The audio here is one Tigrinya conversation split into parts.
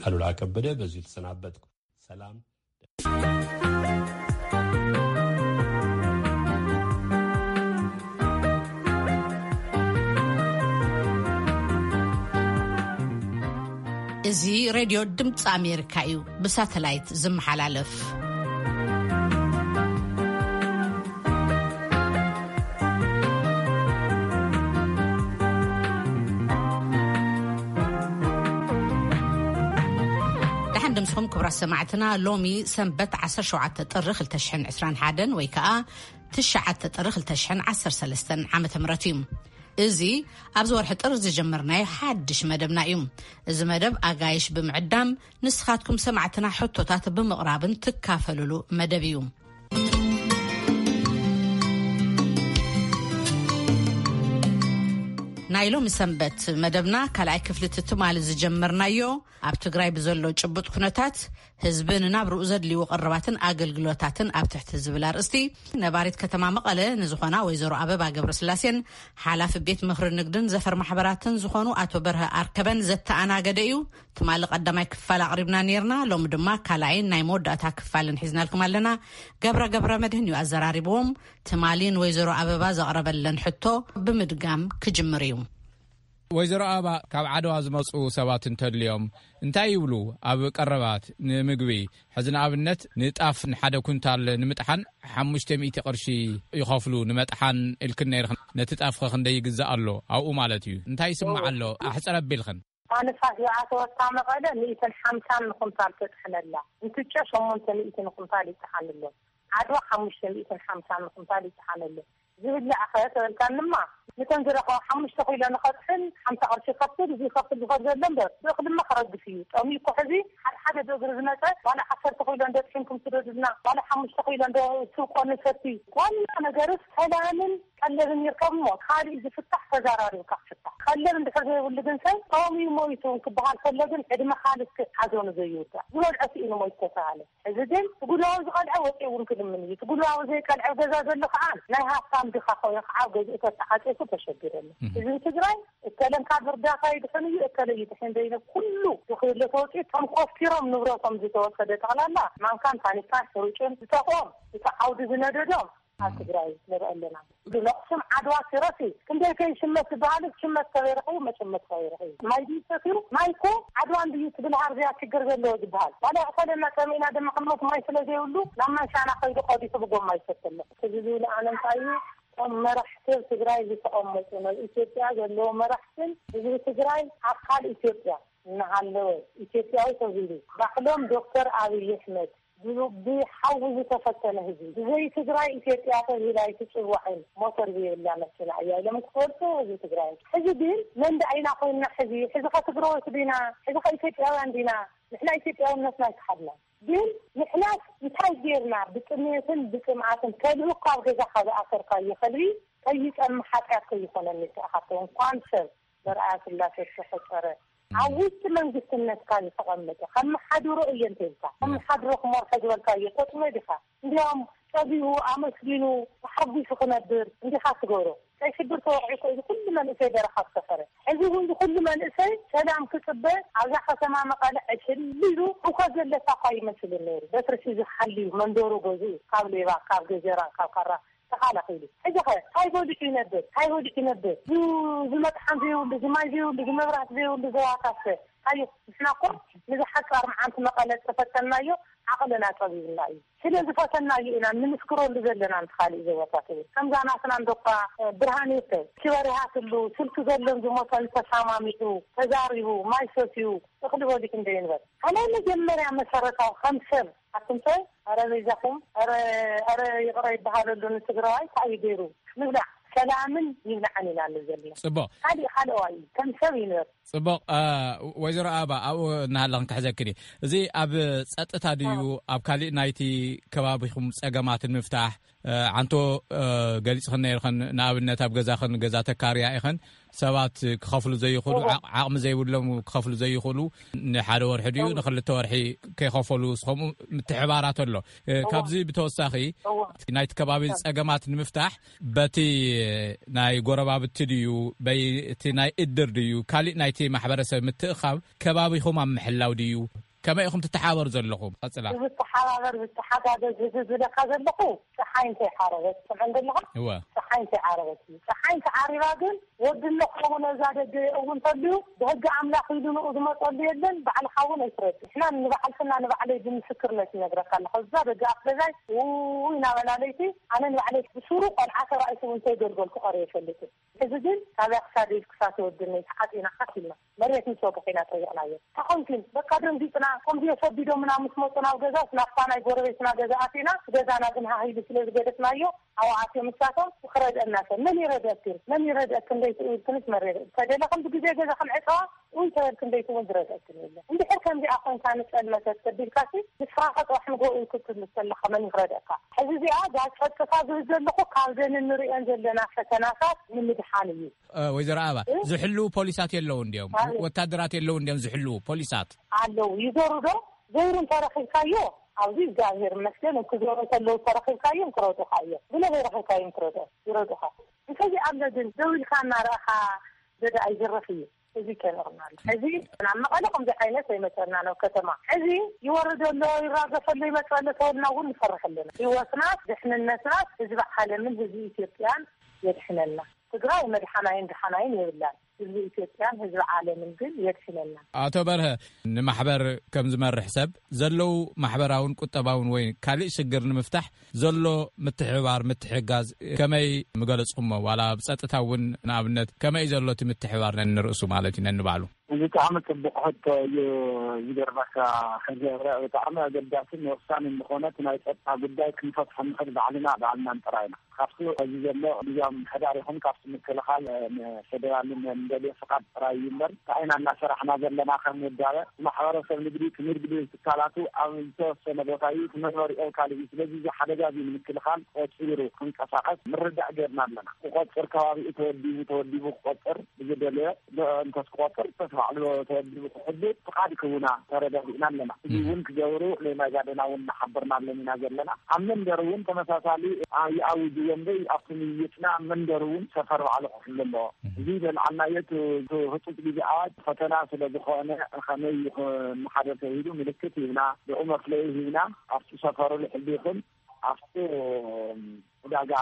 ኣሉላ ከበደ በዚሁ ተሰናበትኩ። ሰላም። እዚ ሬድዮ ድምፂ ኣሜሪካ እዩ፣ ብሳተላይት ዝመሓላለፍ። ደሓን ድምስኹም ክቡራት ሰማዕትና። ሎሚ ሰንበት ዓሰርተ ሸውዓተ ጥሪ ክልተ ሽሕን ዕስራን ሓደን ወይ ከዓ ትሽዓተ ጥሪ ክልተ ሽሕን ዓሰርተ ሰለስተን ዓመተ ምህረት እዩ። እዚ ኣብዚ ወርሒ ጥሪ ዝጀመርናዮ ሓድሽ መደብና እዩ። እዚ መደብ ኣጋይሽ ብምዕዳም ንስኻትኩም ሰማዕትና ሕቶታት ብምቕራብን ትካፈሉሉ መደብ እዩ። ናይ ሎሚ ሰንበት መደብና ካልኣይ ክፍሊ ትማሊ ዝጀመርናዮ ኣብ ትግራይ ብዘሎ ጭቡጥ ኩነታት ህዝቢ ንናብርኡ ዘድልዩ ቀረባትን ኣገልግሎታትን ኣብ ትሕቲ ዝብል ኣርእስቲ ነባሪት ከተማ መቐለ ንዝኾና ወይዘሮ ኣበባ ገብረስላሴን ሓላፊ ቤት ምኽሪ ንግድን ዘፈር ማሕበራትን ዝኾኑ ኣቶ በርሀ ኣርከበን ዘተኣናገደ እዩ። ትማሊ ቀዳማይ ክፋል ኣቕሪብና ነይርና። ሎሚ ድማ ካልኣይን ናይ መወዳእታ ክፋልን ሒዝናልኩም ኣለና። ገብረ ገብረ መድህን እዩ ኣዘራሪብዎም። ትማሊ ንወይዘሮ ኣበባ ዘቕረበለን ሕቶ ብምድጋም ክጅምር እዩ። ወይዘሮ ኣበባ፣ ካብ ዓድዋ ዝመጹ ሰባት እንተድልዮም እንታይ ይብሉ? ኣብ ቀረባት ንምግቢ፣ ሕዚ ንኣብነት ንጣፍ ንሓደ ኩንታል ንምጥሓን ሓሙሽተ ሚእቲ ቅርሺ ይኸፍሉ፣ ንመጥሓን ኢልክን ነይርኽን። ነቲ ጣፍኸ ክንደይ ይግዛእ ኣሎ ኣብኡ ማለት እዩ? እንታይ ይስማዕ ኣሎ? ኣሕጽር ኣቢልኽን። ፋንፋ ሂኣ ተወታ መቐለ ሚእትን ሓምሳን ንኹንታል ተጥሕነላ። እንትጮ ሸሞንተ ሚእቲ ንኹንታል ይጠሓንሎ። ዓድዋ ሓሙሽተ ሚእትን ሓምሳን ንኹንታል ይጠሓነሉ። ዝብላዕ ኸ ተበልካንማ፣ ነተን ዝረኸባ ሓሙሽተ ኪሎ ንኸጥሕን ሓምሳ ቅርሺ ይኸፍል፣ እዚ ይኸፍል ዝኸድ ዘሎ እምበር፣ ብእኽሊ ድማ ክረግፍ እዩ። ጠምዩ እኮ ሕዚ ሓደ ሓደ ዶ እግሪ ዝመጸ፣ ዋላ ዓሰርተ ኪሎ እንዶ ጥሒንኩም ስደዱልና፣ ዋላ ሓሙሽተ ኪሎ እንዶ ስብቆ ንሰቲ። ዋና ነገርስ ሰላምን ቀለብን ይርከብ እሞ፣ ካሊእ ዝፍታሕ ተዘራሪብካ ክፍታሕ። ቀለብ እንድሕር ዘይብሉ ግን ሰብ ጠምዩ ሞይቱ ክበሃል ከሎ ግን ዕድመ ካልእ ሓዘኑ ዘይውዳእ። ዝበልዖ ስኢኑ ሞይቱ ተተባሃለ። እዚ ግን እቲ ጉድባዊ ዝቐልዐ ወፂኡ እውን ክልምን እዩ። እቲ ጉድባዊ ዘይቀልዐ ገዛ ዘሎ ከዓ ናይ ሃብታም ድኻ ኮይኑ ከዓ ኣብ ገዝኡ ተተዓፂፉ ተሸጊሩ ኣሎ። እህ። ህዝቢ ትግራይ እከለን ካብ እርዳታ ይድሕን እዩ፣ እከለ ይድሕን ዘይነ ኩሉ ዝኽእሎ ተወፂኡ፣ እቶም ኮስቲሮም ንብረቶም ዝተወሰደ ጠቕላላ ማንካን ታኒካን ሕሩጭን ዝተቆም እቲ ዓውዲ ዝነደዶም ኣብ ትግራይ ንርኢ ኣለና። ነኽሱም ዓድዋ ሲረሲ ክንደይ ከይሽመት ዝበሃል ሽመት ከበይ ረኺቡ መሽመት ከበይ ረኺቡ። ማይ ድዩ ሰትዩ? ማይ እኮ ዓድዋ እንድዩ ትብል ሃርዝያ ችግር ዘለዎ ዝበሃል። ዋላ ይቕተለና ጸሚእና ድማ ክንሞት ማይ ስለ ዘይብሉ ናብ ማይ ሻና ከይዱ ቀዲሑ ብጎማ ይሰቲ ኣሎ። እዚ ዝብል ኣነ እንታይ እዩ? እቶም መራሕቲ ትግራይ ዝተቐመጡ፣ ናብ ኢትዮጵያ ዘለዎ መራሕትን ህዝቢ ትግራይ ኣካል ኢትዮጵያ እናሃለወ ኢትዮጵያዊ ተባሂሉ ባዕሎም ዶክተር ኣብይ ኣሕመድ ብሓዊ ዝተፈተነ ህዝቢ። ብዘይ ትግራይ ኢትዮጵያ ተባሂላ ኣይትፅዋዕን፣ ሞተር ዘይብላ መኪና እያ ኢሎም ክፈልጡ ህዝቢ ትግራይ። ሕዚ ግን መን ደኣ ኢና ኮይንና? ሕዚ ሕዚ ከ ትግራዎት ዲና? ሕዚ ከ ኢትዮጵያውያን ዲና? ንሕና ኢትዮጵያውነትና ኣይከሓድና። ግን ንሕናስ እንታይ ጌርና? ብጥሜትን ብፅምኣትን ከልቢ ካብ ገዛ ካብ ዝኣሰርካዮ ከልቢ ከይፀምእ ሓጢኣት ከይኾነኒ ተኣኻቶ እንኳን ሰብ በርኣያ ስላሴ ዝተፈጠረ ኣብ ውሽጢ መንግስትነትካ ዝተቐመጠ ከመሓድሮ እየ እንተኢልካ ከመሓድሮ ክመርሖ ዝበልካዮ ተጥምዮ ዲኻ? እንዲያውም ጸጊቡ ኣመስጊኑ ተሓጒሱ ክነብር እንዲኻ ትገብሮ። ቀይ ሽብር ተወቒዑ እኮ እዚ ኩሉ መንእሰይ በረኻ ዝሰፈረ። ሕዚ እውን እዚ ኩሉ መንእሰይ ሰላም ክጽበ ኣብዛ ከተማ መቐለ ዕሽል ኢሉ ህውከት ዘለካ እኳ ይመስልን ነይሩ። በትሪ ሒዙ ሓልዩ መንበሩ ገዝኡ ካብ ሌባ ካብ ገጀራ ካብ ካራ ተኻላኺሉ። ሕጂ ኸ ታይ በሊዑ ይነብር? ታይ በሊዑ ይነብር? ዝ-፣ ዝመጥሓን ዘይብሉ፣ ዝማይ ዘይብሉ፣ ዝመብራት ዘይብሉ ዞባታት ከ? ኣዩ፣ ንሕና እኮ ንዝሓጻር መዓልቲ መቐለ ዝተፈተንናዮ ዓቕልና ጸቢብና እዩ። ስለ ዝፈተናዮ ኢና ንምስክረሉ ዘለና፣ ምስ ካልእ ዞባታት እውን። ከምዛ ናትና እንዶ እኳ፣ እ፣ ብርሃን ይርከብ፣ ክበር ይሃትሉ፣ ስልኪ ዘሎን ዝሞተን ተሰማሚዑ፣ ተዛሪቡ፣ ማይ ሰትዩ፣ እኽሊ በሊዑ እንዶ ይንበር። ኣነ መጀመርያ መሰረታዊ ከም ሰብ ኣቱም ሰብ፣ ኣረ በይዛኹም፣ ኣረ፣ ኣረ ይቕረ ይበሃለሉ ንትግራዋይ፣ እንታይ እዩ ገይሩ? ንብላዕ፣ ሰላምን ይብላዕን ኢና ንብል ዘለና። ጽቡቕ። ካሊእ ካልኣዋይ እዩ፣ ከም ሰብ ይንበር። ጽቡቕ፣ እ፣ ወይዘሮ ኣበባ፣ ኣብኡ እናሃለኽን ክሕዘክን እየ። እዚ ኣብ ጸጥታ ድዩ፣ ኣብ ካሊእ ናይቲ ከባቢኹም ጸገማት ንምፍታሕ፣ ዓንቶ ገሊጽኽን ነይርኽን። ንኣብነት ኣብ ገዛኽን፣ ገዛ ተካርያ ኢኽን፣ ሰባት ክኸፍሉ ዘይኽእሉ፣ ዓቕሚ ዘይብሎም ክኸፍሉ ዘይኽእሉ፣ ንሓደ ወርሒ ድዩ ንኽልተ ወርሒ ከይኸፈሉ፣ ስኸምኡ ምትሕባራት ኣሎ። ካብዚ ብተወሳኺ ናይቲ ከባቢ ጸገማት ንምፍታሕ በቲ ናይ ጎረባብቲ ድዩ፣ በይ እቲ ናይ እድር ድዩ፣ ካሊእ ናይቲ ማሕበረሰብ ምትእኻብ ከባቢኹም ኣብ ምሕላው ድዩ? ከመይ ኢኹም ትተሓባበሩ ዘለኹም? ቀጽላ። ዝተሓባበር ዝተሓጋገዝ ህዝቢ ዝብለካ ዘለኹ፣ ፀሓይ እንታይ ሓረበት ትሰምዐን ዘለኻ? እወ። ፀሓይ እንታይ ዓረበት እዩ። ፀሓይ እንታይ ዓሪባ ግን ወዲ ኣለኹ ነዛ ደገ እውን ተልዩ ብህጊ ኣምላኽ ኢሉ ንኡ ዝመፀሉ የለን። ባዕልኻ እውን ኣይትረድ። ንሕና ንባዕልትና ንባዕለይ ብምስክርነት ይነግረካ ኣለኹ። እዛ ደገ ኣፍ ገዛይ ውይ ናበላ ለይቲ ኣነ ንባዕለይ ብሱሩ ቆልዓ ተራእሱ እውን ተይገልገልኩ ቀረ ይፈልጥን። እዚ ግን ካብ ክሳደይ ክሳተ ወድነይ ተዓጢና ካት ኢልና መሬት ምስ ወግሕ ኢና ጠይቕናዮ። ተኾንኪን በቃ ደንጊፅና። ከምዚ የሰቢዶምና ምስ መፁ ናብ ገዛስ ናብታ ናይ ጎረቤትና ገዛ ኣቲና፣ ገዛና ግን ሃሂሉ ስለ ዝገደፍናዮ ኣብኡ ኣትዮም ንሳቶም። ክረድአና ሰብ መን ይረድአክን? መን ይረድአክን? ደይትእውልክንስ መሬት ተደለኽን ብግዜ ገዛ ክንዕፀዋ እውን ተበልክን ደይትውን ዝረድአክን የለን። እንድሕር ከምዚኣ ኮይንካ ንፀልመተት ተቢልካሲ ንስኻ ከጥራሕ ንጎ ክትብል ከለኻ መን ይረድአካ? ሕዚ እዚኣ እዛ ፀጥታ ዝብል ዘለኹ ካብዘን እንሪአን ዘለና ፈተናታት ንምድሓን እዩ። ወይዘሮ ኣበባ፣ ዝሕልዉ ፖሊሳት የለውን ድዮም? ወታደራት የለውን ድዮም ዝሕልዉ ፖሊሳት? ኣለዉ። ይዞሩ ዶ? ዘይሩ እንተረኺብካዮ ኣብዚ እግዚኣብሔር ይመስገን፣ ክዞሩ እንተለዉ ተረኺብካዮም ክረዱኻ እዮም። ብለ ዘይረኺብካዮም ክረዱ ይረዱኻ። እንተዚ ኣሎ ግን ደው ኢልካ እናረኣኻ ገዳ ኣይዝረፍ እዩ። እዚ ከንቕና ኣሎ። ሕዚ ናብ መቐለ ከምዚ ዓይነት ኣይመፀና ናብ ከተማ። ሕዚ ይወርድ ኣሎ፣ ይራገፈ ኣሎ፣ ይመፅእ ኣሎ ተበልና እውን ንፈርሕ ኣለና። ህይወትናስ ድሕንነትናስ ህዝቢ ዓለምን ህዝቢ ኢትዮጵያን የድሕነልና። ትግራይ መድሓናይን ደሓናይን የብላን። ህዝቢ ኢትዮጵያን ህዝቢ ዓለምን ግን የድሕነና። ኣቶ በርሀ፣ ንማሕበር ከም ዝመርሕ ሰብ ዘለዉ ማሕበራውን ቁጠባውን ወይ ካልእ ሽግር ንምፍታሕ ዘሎ ምትሕብባር ምትሕጋዝ ከመይ ምገለጽኩሞ? ዋላ ብጸጥታ እውን ንኣብነት ከመይ ዘሎ እቲ ምትሕብባር ነንርእሱ ማለት እዩ ነንባዕሉ? ብጣዕሚ ጽቡቕ ሕቶ እዩ። ዝገርመካ ገብረ፣ ብጣዕሚ ኣገዳስን ወሳንን ዝኾነ እቲ ናይ ጸጥታ ጉዳይ ክንፈትሖ ንኽእል ባዕልና ባዕልናን ጥራይና። ካብቲ ሕዚ ዘሎ ግዝያዊ ምምሕዳር ይኹን ካብቲ ምክልኻል ንፌደራልን እንደልዮ ፍቓድ ጥራይ እዩ እምበር እንታይ ኢና እናሰራሕና ዘለና ከም ውዳበ ማሕበረሰብ ንግዲ ትምህርት ቤት ትካላቱ ኣብ ዝተወሰነ ቦታ እዩ እቲ መንበሪኦም ካልእ እዩ። ስለዚ እዚ ሓደጋ እዚ ንምክልኻል ቆጺሩ ክንቀሳቐስ ምርዳእ ገርና ኣለና። ክቆጽር ከባቢኡ ተወዲቡ ተወዲቡ ክቆጽር ብዝደለዮ እንተስ ክቆጽር እንተስ ባዕሉ ተወዲቡ ክሕሉ ፍቓድ ክህቡና ተረዳዲእና ኣለና። እዚ እውን ክገብሩ ሌማይ ጋደና እውን እናሓበርናሎም ኢና ዘለና። ኣብ መንደር እውን ተመሳሳሊ ይኣውጅዎ እምበይ ኣብቲ ምይይጥና ኣብ መንደር እውን ሰፈር ባዕሉ ክሕሉ ኣለዎ። እዚ ዘልዓልናዮ እቲ ህፁፅ ግዜ ኣዋጅ ፈተና ስለ ዝኾነ ከመይ ንሓደ ሰብ ሂዱ ምልክት ሂብና ብኡ መፍለይ ሂብና ኣብቲ ሰፈሩ ልሕል ይኹን ኣብቲ ዕዳጋ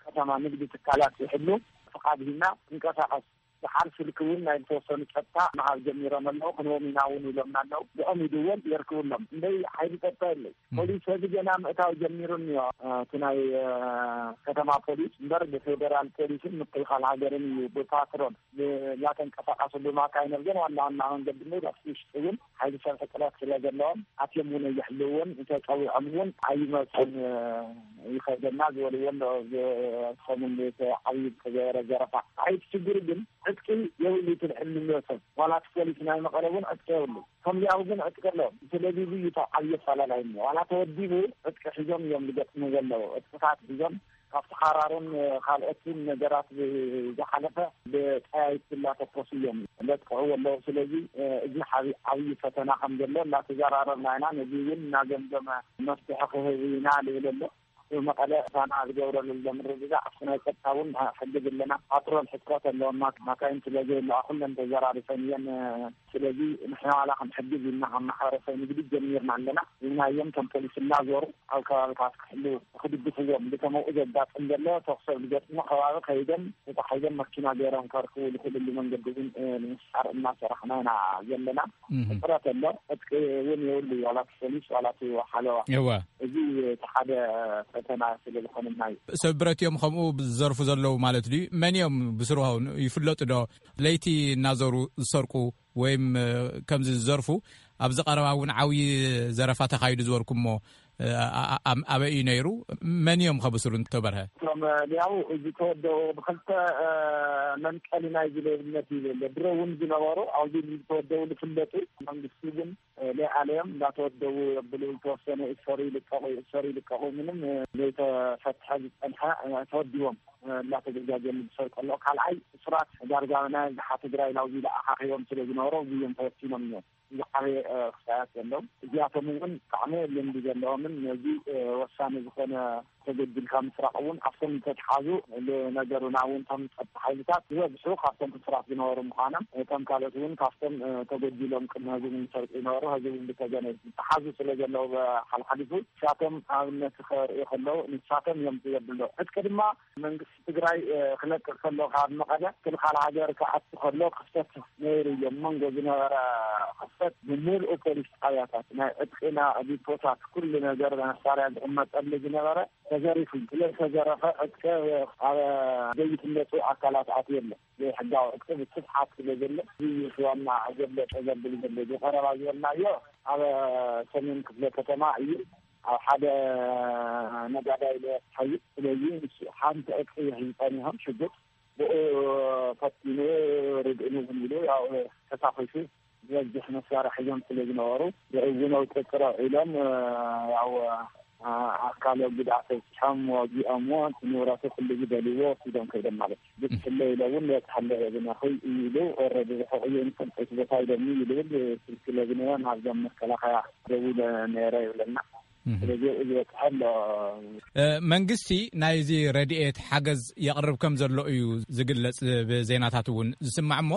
ከተማ ንግዲ ትካላት ይሕሉ ፍቓድ ሂብና ክንቀሳቐስ ዝሓር ስልኪ እውን ናይ ዝተወሰኑ ጸጥታ ምሃብ ጀሚሮም ኣለዉ። ክንዎም ኢና እውን ኢሎምና ኣለዉ። ብኦም ይድወል የርክብሎም እምበይ ሓይሊ ጸጥታ የለይ። ፖሊስ ሕዚ ገና ምእታው ጀሚሩ እኒኦ። እቲ ናይ ከተማ ፖሊስ እምበር ብፌደራል ፖሊስን ምክልኻል ሃገርን እዩ ብፓትሮል እናተንቀሳቐሱ ብማካይን ኣብዘን ዋና ዋና መንገዲ ምውዳእ ውሽጢ እውን ሓይሊ ሰብ ሕፅረት ስለ ዘለዎም ኣትዮም እውን ኣይሕልውዎን እንተፀዊዖም እውን ኣይመፁን ይኸደና ዝበልዎ ኣሎ። ሰሙን ዓብዪ ዝተገበረ ዘረፋ። እቲ ችግር ግን ዕጥቂ የብሉ እቲ ዝሕልዎ ሰብ። ዋላ እቲ ፖሊስ ናይ መቐለ እውን ዕጥቂ የብሉ። ከምዚኣው ግን ዕጥቂ ኣለዎም። ስለዚ እዚ እዩ እቲ ዓብዪ ኣፈላላይ እኒኦ። ዋላ ተወዲቡ ዕጥቂ ሒዞም እዮም ዝገጥሙ ዘለዉ። ዕጥቅታት ሒዞም ካብቲ ሓራሩን ካልኦትን ነገራት ዝሓለፈ ብጠያይት እናተኮሱ እዮም ለጥቅዕዎ ኣለዉ። ስለዚ እዚ ሓቢ ዓብዪ ፈተና ከም ዘሎ እናተዘራረብና ኢና። ነዚ እውን እናገምገመ መፍትሒ ክህብ ኢና ልብል ኣሎ። መቐለ እሳና ዝገብረሉ ዘሎ ምርግጋዕ ኣብቲ ናይ ጸጥታ እውን ሕግዝ ኣለና። ፓትሮል ሕጽረት ኣለዎም። ማካይን ስለ ዘየለዋ ኩለን ተዘራሪፈን እየን። ስለዚ ንሕና ዋላ ክንሕግዝ ኢልና ካብ ማሕበረሰብ ንግዲ ጀሚርና ኣለና። ኢልናዮም ከም ፖሊስ እናዞሩ ኣብ ከባብታት ክሕሉ ክድግፍዎም ብከምኡ ዘጋጥም ዘሎ ተኩሲ ኣብ ዝገጥሞ ከባቢ ከይዶም ተታሒዞም መኪና ገይሮም ከርክቡ ዝኽእልሉ መንገዲ እውን ንምፍጣር እናሰራሕና ኢና ዘለና። ሕፅረት ኣሎ። ዕጥቂ እውን የብሉ ዋላ እቲ ፖሊስ ዋላ እቲ ሓለዋ። እወ። እዚ እቲ ሓደ ፈተና ስለ ዝኾነና እዩ። ሰብ ብረት እዮም ከምኡ ዝዘርፉ ዘለዉ ማለት ድዩ? መን እዮም ብስርሖም ይፍለጡ ዶ? ለይቲ እናዞሩ ዝሰርቁ ወይም ከምዚ ዝዘርፉ ኣብዚ ቀረባ እውን ዓብዪ ዘረፋ ተኻይዱ ዝበልኩሞ ኣበይ እዩ ነይሩ? መን እዮም ከብስሩ እንተበርሀ? እቶም ያው ዝተወደቡ ብክልተ መንቀሊ ናይ ዝሌብነት እዩ ዘሎ ድሮ እውን ዝነበሩ ኣብዚ ዝተወደቡ ዝፍለጡ መንግስቲ ግን ለኣለዮም እንዳተወደቡ የብሉ። ዝተወሰነ ይእሰሩ ይልቀቑ፣ ይእሰሩ ይልቀቑ፣ ምንም ዘይተፈትሐ ዝጸንሐ ተወዲቦም እንዳተዘጋጀሉ ዝሰሩ ከሎ፣ ካልኣይ እሱራት ዳርጋ ናይ ዝሓ ትግራይ ናብዚ ለኣኻኺቦም ስለ ዝነበሩ፣ ብዮም ተወሲኖም እዮም ዝዓበየ ክሳያት ዘለዎም። እዚኣቶም እውን ብጣዕሚ ልምዲ ዘለዎምን ነዚ ወሳኒ ዝኾነ ተገዲልካ ምስራቕ እውን ኣብቶም ዝተትሓዙ፣ ንነገሩና እውን እቶም ጸጥታ ሓይልታት ዝበዝሑ ካብቶም ሕሱራት ዝነበሩ ምዃኖም፣ እቶም ካልኦት እውን ካብቶም ተጎዲሎም ቅድሚ ህዝቢ ዝሰርቁ ዝነበሩ፣ ህዝቢ እውን ብተገነ ዝተሓዙ ስለ ዘለዉ፣ ብሓልሓሊፉ ንሳቶም ኣብነት ከርእዩ ከለዉ ንሳቶም እዮም ዘብሎ። ዕጥቂ ድማ መንግስቲ ትግራይ ክለቅቕ ከሎ ካብ መቐለ ክልኻል ሃገር ክኣቱ ከሎ ክፍተት ነይሩ እዮም። መንጎ ዝነበረ ክፍተት ብምልኡ ፖሊስ ጣብያታት፣ ናይ ዕጥቂና ዲፖታት፣ ኩሉ ነገር መሳርያ ዝቕመጠሉ ዝነበረ ተዘሪፉ። ስለዝተዘረፈ ዕጥቂ ኣብ ዘይፍለጡ ኣካላት ኣትዩ ኣሎ። ዘይሕጋዊ ዕጥቂ ብስፍሓት ስለ ዘሎ፣ እዚ ዋና ዘብለጠ ዘብል ዘሎ እዚ ቀረባ ዝበልናዮ ኣብ ሰሜን ክፍለ ከተማ እዩ። ኣብ ሓደ ነጋዳይ ለያስሓዩ። ስለዚ ንሱ ሓንቲ ዕጥቂ ይሕዝ ጸኒሖም ሽጉጥ ብኡ ፈቲኑ ርድእኒ እውን ኢሉ ያው ተታኺሱ ዝበዝሕ መሳርሒ እዮም ስለ ዝነበሩ ብእዝነው ጥጥሮ ኢሎም ያው ኣካለ ጉድኣት በፂሖም ወጊኦምዎ እቲ ንብረቱ ኩሉ ዝደልዎ ወሲዶም ከይዶም ማለት እዩ። ብትሕለ ኢለ እውን በፅሐለ ብናኹይ እዩ ኢሉ ወረዲ ርሑቕ እዩ ንፈልጠይቲ ቦታ ኢሎምኒ ይልብል ስልክ ለግነዮ ናብዞም መከላኸያ ደዊለ ነይረ ይብለና። ስለዚ ዝበፅሐ ኣሎ። መንግስቲ ናይዚ ረድኤት ሓገዝ የቕርብ ከም ዘሎ እዩ ዝግለጽ። ብዜናታት እውን ዝስማዕ እሞ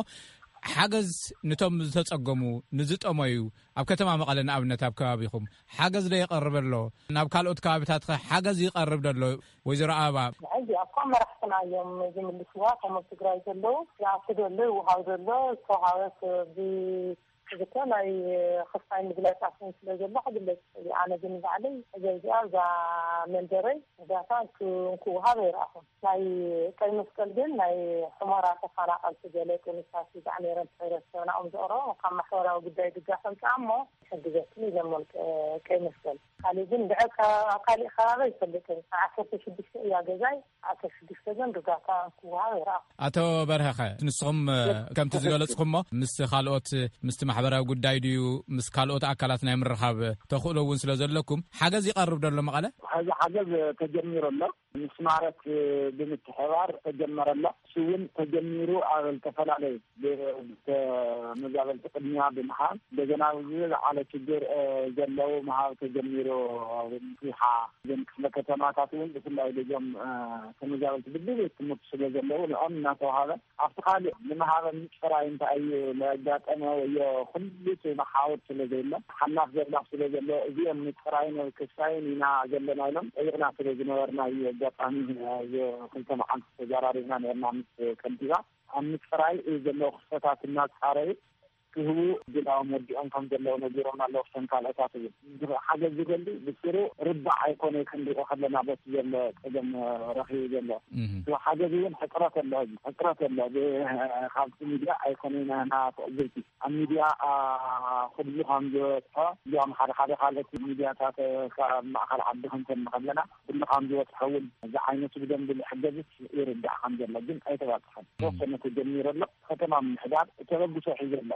ሓገዝ ንቶም ዝተጸገሙ ንዝጠመዩ ኣብ ከተማ መቐለ ንኣብነት ኣብ ከባቢኹም ሓገዝ ዶ የቐርብ ኣሎ? ናብ ካልኦት ከባቢታት ኸ ሓገዝ ይቐርብ ዶ ኣሎ? ወይዘሮ ኣበባ። ሕዚ እኳ መራሕትና እዮም ዝምልስዋ። ከም ኣብ ትግራይ ዘለዉ ይኣቱ ዘሎ ይወሃብ ዘሎ ዝተወሃበት ብ ክልተ ናይ ክፋይ ምግላጻት እውን ስለ ዘሎ ክግለጽ ይኽእል እዩ። ኣነ ግን ባዕለይ ሕዚ እዚኣ እዛ መንደረይ እርዳታ እንክ-፣ እንክወሃብ ኣይረኣኹን። ናይ ቀይ መስቀል ግን ናይ ሑመራ ተፈናቐልቲ ገለ ጥኑሳት ይዛዕ ነይረን ሕብረተሰብና እዮም ዘቕረቦም ካብ ማሕበራዊ ጉዳይ ድጋፍ ኣምፅኣ እሞ ይሕግዘክን ኢሎሞም ቀ-፣ ቀይ መስቀል። ካሊእ ግን ድሕር ከ-፣ ኣብ ካሊእ ከባቢ ኣይፈልጥን። ዓሰርተ ሽዱሽተ እያ ገዛይ። ኣቶ ሽዱሽተ ግን ርዳታ ክወሃብ ይረኣ። ኣቶ በርሀኸ፣ ንስኹም ከምቲ ዝገለጽኩሞ ምስ ካልኦት ምስቲ ማሕበራዊ ጉዳይ ድዩ ምስ ካልኦት ኣካላት ናይ ምርኻብ ተኽእሎ እውን ስለ ዘለኩም ሓገዝ ይቐርብ ደሎ መቐለ? ሕዚ ሓገዝ ተጀሚሩ ኣሎ። ምስ ማረት ብምትሕባር ተጀመረ ኣሎ። እሱ እውን ተጀሚሩ ኣብ ዝተፈላለዩ ብ-፣ ብተ-፣ መዛበልቲ ቅድሚያ ብምሃብ እንደገና ዝለዓለ ችግር፣ እ፣ ዘለዉ ምሃብ ተጀሚሩ። ኣብ ምፍትሓ እዘን ክፍለ ከተማታት እውን ብፍላይ እዞም፣ እ፣ ተመዛበልቲ ብድቤት ትምህርቲ ስለ ዘለዉ ንኦም እናተዋሃበ ኣብቲ ካልእ ንምሃበ ምፅራይ እንታይ እዩ ለጋጠመ ወዮ ኩሉ እቲ መሓውር ስለ ዘየለ ሓላፍ ዘላፍ ስለ ዘሎ እዚኦም ምፅራይን ክሳይን ኢና ዘለና ኢሎም ጠይቕና ስለ ዝነበርና እዩ። ኣጋጣሚ፣ እ፣ ክልተ መዓልቲ ተዘራሪብና ነርና ምስ ከንቲባ። ኣብ ምፅራይ ዘለዉ ክስተታት እናፃረዩ ክህቡ ግላዎም ወዲኦም ከም ዘለዉ ነጊሮም ኣለዉ። ክተን ካልኦታት እውን ሓገዝ ዝደሊ ብስሩ ርባዕ ኣይኮነ ክንሪኦ ከለና በቲ ዘሎ ፀገም ረኺቡ ዘሎ። እህ። እቲ ሓገዝ እውን ሕፅረት ኣሎ፣ ሕፅረት ኣሎ። ብ-፣ ካብቲ ሚድያ ኣይኮነ ናና ትዕዝብቲ ኣብ ሚድያ፣ ኣ፣ ኩሉ ከም ዝበፅሖ እዚኦም ሓደ ሓደ ካልኦት ሚድያታት ካብ ማእኸል ዓዲ ክንሰምዕ ከለና ኩሉ ከም ዝበፅሖ እውን እዚ ዓይነቱ ብደንቢ ዝሕገዝስ ይርዳእ ከም ዘሎ ግን ኣይተባፅሐን። እህ። ተወሰነ ተጀሚሩ ኣሎ። ከተማ ምምሕዳር ተበግሶ ሒዙ ኣሎ።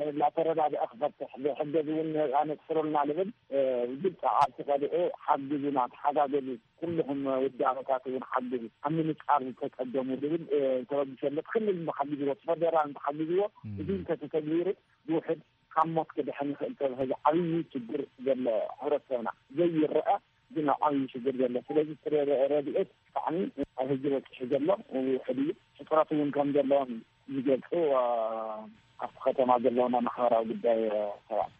እናተረዳድአ ክፈትሕ፣ ብሕገዝ እውን ኣነፅሩልና ልብል፣ እ፣ ብግልፂ ዓርሲ ቀሊዑ ሓግዙና፣ ተሓጋገዙ፣ ኩልኹም ውዳበታት እውን ሓግዙ፣ ኣብ ምንፃር ዝተፀገሙ ልብል፣ እ፣ ተበግሶ ኣሎ። ክልል እንተሓጊዝዎ፣ እቲ ፈደራል እንተሓጊዝዎ፣ እም። እዚ እንተተተግቢሩ ብውሕድ ካብ ሞት ክድሕን ይኽእል ተባሂሉ ዓብዪ ችግር ዘሎ ሕብረተሰብና ዘይረአ ግን ኣብ ዓብዪ ሽግር ዘሎ። ስለዚ እቲ ረ-፣ ረድኤት ብጣዕሚ ኣብ ህዝቢ በፂሑ ዘሎ ውሑድ እዩ። ሕፅረት እውን ከም ዘለዎም ዝገልፁ፣ አ፣ ኣብቲ ከተማ ዘለውና ማሕበራዊ ጉዳይ፣ አ፣ ሰባት።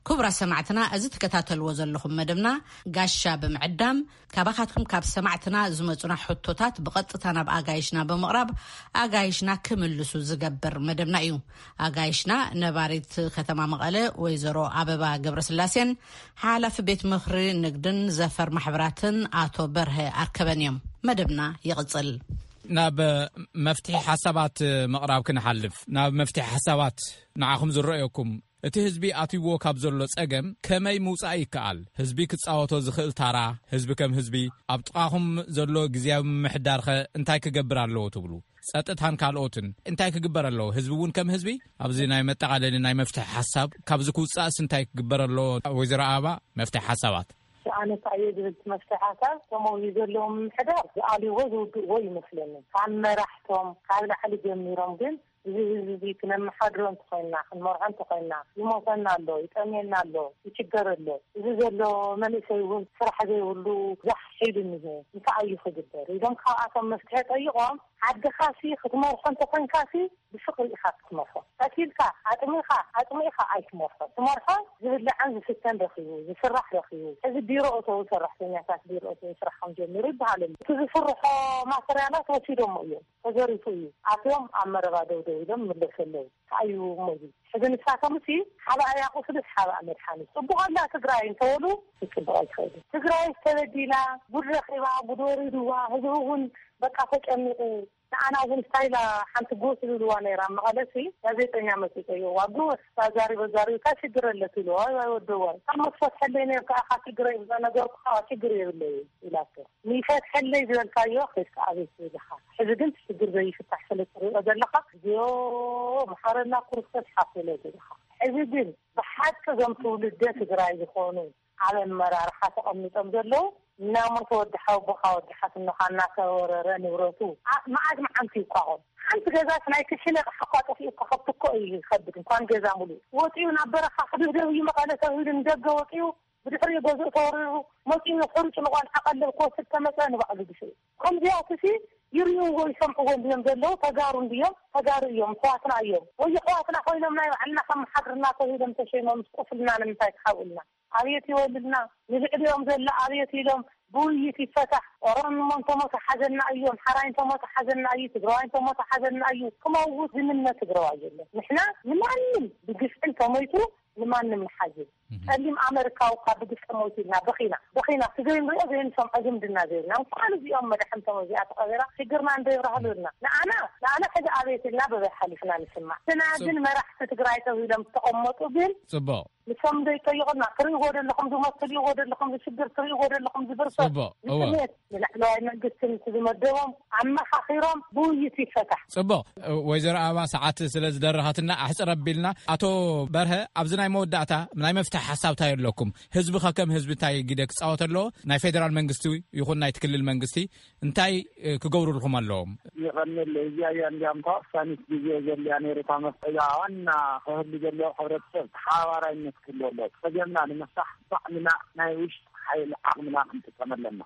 ክቡራት ሰማዕትና፣ እዚ ትከታተልዎ ዘለኹም መደብና ጋሻ ብምዕዳም ካባኻትኩም ካብ ሰማዕትና ዝመጹና ሕቶታት ብቐጥታ ናብ ኣጋይሽና ብምቕራብ ኣጋይሽና ክምልሱ ዝገብር መደብና እዩ። ኣጋይሽና ነባሪት ከተማ መቐለ ወይዘሮ ኣበባ ገብረስላሴን ሓላፊ ቤት ምኽሪ ንግድን ዘፈር ማሕበራትን ኣቶ በርሀ ኣርከበን እዮም። መደብና ይቕጽል። ናብ መፍትሒ ሓሳባት ምቕራብ ክንሓልፍ፣ ናብ መፍትሒ ሓሳባት ንዓኹም ዝረኣየኩም፣ እቲ ህዝቢ ኣትይዎ ካብ ዘሎ ጸገም ከመይ ምውጻእ ይከኣል? ህዝቢ ክጻወቶ ዝኽእል ታራ፣ ህዝቢ ከም ህዝቢ ኣብ ጥቓኹም ዘሎ ግዝያዊ ምምሕዳርኸ እንታይ ክገብር ኣለዎ ትብሉ? ጸጥታን ካልኦትን እንታይ ክግበር ኣለዎ? ህዝቢ እውን ከም ህዝቢ ኣብዚ ናይ መጠቓለሊ ናይ መፍትሒ ሓሳብ ካብዚ ክውጻእስ እንታይ ክግበር ኣለዎ? ወይዘሮ ኣበባ፣ መፍትሒ ሓሳባት። ኣነ እንታይ እየ ዝብል፣ እቲ መፍትሒ ሓሳብ፣ ከምኡ እዩ ዘለዎም ምሕዳር ዝኣልይዎ ዝውድእዎ ይመስለኒ። ካብ መራሕቶም ካብ ላዕሊ ጀሚሮም ግን እዚ ህዝቢ እዚ ክነመሓድሮ እንተኾይንና፣ ክንመርሖ እንተኾይንና፣ ይሞተና ኣሎ፣ ይጠምየና ኣሎ፣ ይችገር ኣሎ። እዚ ዘሎ መንእሰይ እውን ስራሕ ዘይብሉ ዛሕ ኢሉ እኒሄ። እንታይ እዩ ክግበር ኢሎም ካብኣቶም መፍትሒ ጠይቖም፣ ዓድኻሲ ክትመርሖ እንተኾይንካሲ ብፍቕሪ ኢኻ ክትመርሖ። ቀቲልካ፣ ኣጥሚኻ፣ ኣጥሚእኻ ኣይትመርሖ። ትመርሖ ዝብላዕን ዝስተን ረኺቡ፣ ዝስራሕ ረኺቡ። ሕዚ ቢሮ እተዉ ሰራሕተኛታት ቢሮ እተዉ ስራሖም ጀሚሩ ይበሃል ኣሎ። እቲ ዝስርሖ ማተርያላት ወሲዶሞ እዮም። ተዘሪፉ እዩ። ኣትዮም ኣብ መረባ ደው ደው ኢሎም ይምለሱ ኣለዉ። እንታይ እዩ እሞ እዚ? ሕዚ ንሳቶም እሲ ሓባእያ ቁስልስ ሓባእ መድሓኒት። ጽቡቕ ኣላ ትግራይ እንተበሉ፣ ክትጽቡቕ ኣይትኽእልን። ትግራይ ተበዲላ፣ ጉድ ረኺባ፣ ጉድ ወሪድዋ፣ ህዝቢ እውን በቃ ተጨኒቑ። ንዓና እውን ስታይላ ሓንቲ ጎስ ዝብልዋ ነይራ ኣብ መቐለ ሲ፣ ጋዜጠኛ መጺኡ ጠይቕዋ፣ ጎስ ኣዛሪብ ኣዛሪብ፣ እንታይ ሽግር ኣለ ትብልዋ፣ ዋይ ዋይ ወደዋይ፣ ካብ መክፈት ሕለይ ነይርካ ኢኻ ሽግረይ ነገርኩኻ፣ ሽግር የብለይ ኢላቶ። ንይፈትሐለይ ዝበልካዮ ኬድካ ኣበይ ትብል ኢኻ? ሕዚ ግን እቲ ሽግር ዘይፍታሕ ስለ ትሪኦ ዘለኻ፣ እግዚኣብሔር መሓረና ክርስቶስ ሓፍ በሎ ዘለኻ። ሕዚ ግን ብሓቂ እዞም ትውልደ ትግራይ ዝኾኑ ኣብ ኣመራርሓ ተቐሚጦም ዘለዉ፣ እናሞተ ወዲ ሓወቦኻ ወዲ ሓትኖኻ እናተወረረ ንብረቱ፣ ኣ-፣ መዓት መዓልቲ ይቋቖም። ሓንቲ ገዛስ ናይ ክሽነ ኣቕሓ እኳ ጠፊኡ እኳ ከብቲ እኮ እዩ ይኸብድ፣ እንኳን ገዛ ሙሉእ። ወፂኡ ናብ በረኻ ክድብደብ እዩ መቐለ ተባሂሉ ንደገ ወፂኡ፣ ብድሕሪኡ ገዝኡ ተወሪሩ፣ መፂኡ ሕሩጭ ንቆልዓ ቀለብ ክወስድ ተመፀ ንባዕሉ ግፍዒ። ከምዚኣትሲ ይርእይዎ ይሰምዕዎ እንድዮም ዘለዉ፣ ተጋሩ እንድዮም፣ ተጋሩ እዮም፣ ኣሕዋትና እዮም። ወይ ኣሕዋትና ኮይኖም ናይ ባዕልና ከመሓድርና ተባሂሎም ተሸይሞም ቁስልና ንምንታይ ክሓብኡልና? ኣብየት ይወልድና፣ ንልዕሊኦም ዘላ ኣብየት ኢሎም ብውይይት ይፈታሕ። ኦሮሞ እንተሞተ ሓዘና እዩ፣ ኣምሓራይ እንተሞተ ሓዘና እዩ፣ ትግራዋይ እንተሞተ ሓዘና እዩ። ክመውት ዝምነ ትግራዋይ የለን። ንሕና ንማንም ብግፍዒ እንተሞይቱ ንማንም ንሓዝን። ጸሊም ኣመሪካዊ እኳ ብግፍዒ ሞይቱ ኢልና በኺና፣ በኺና። እቲ ዘይንሪኦ ዘይንሰምዖ ዝምድና ዘይብልና። እንኳን እዚኦም መዳሕንቶም እዚኣ ተቐቢራ ሽግርና እንዶ ይብራህሉ ኢልና። ንኣና፣ ንኣና ሕዚ ኣቤት ኢልና በበይ ሓሊፍና ንስማዕ። ግና ግን መራሕቲ ትግራይ ተባሂሎም ዝተቐመጡ ግን ጽቡቕ። ንሶም ዘይጠይቑና፣ ትርእይዎ ዘለኹም ዝሞት፣ ትርእይዎ ዘለኹም ዝሽግር፣ ትርእይዎ ዘለኹም ዝብርሰት፣ ጽቡቕ፣ እወ። ንስሜት ንላዕለዋይ መንግስትን እቲ ዝመደቦም ኣመኻኺሮም ብውይይት ይፈታሕ። ጽቡቕ። ወይዘሮ ኣበባ፣ ሰዓት ስለ ዝደረኸትና ኣሕጽር ኣቢልና። ኣቶ በርሀ፣ ኣብዚ ናይ መወዳእታ ናይ መፍትሒ ሓሳብ እንታይ ኣለኩም? ህዝቢ ከ ከም ህዝቢ እንታይ ግደ ክጻወት ኣለዎ? ናይ ፌደራል መንግስቲ ይኹን ናይቲ ክልል መንግስቲ እንታይ፣ እ፣ ክገብሩልኩም ኣለዎም? ይቐንል። እዚኣ እያ እንዲያም ተወሳኒት ግዜ ዘልያ ነይሩ። እታ መፍትሒ ዋና ክህሉ ዘለዎ ሕብረተሰብ ተሓባባራይነት ክህልዎ ኣለዎ። ጸገምና ንምፍታሕ ባዕልና ናይ ውሽጢ ሓይሊ ዓቕምና ክንጥቀም ኣለና።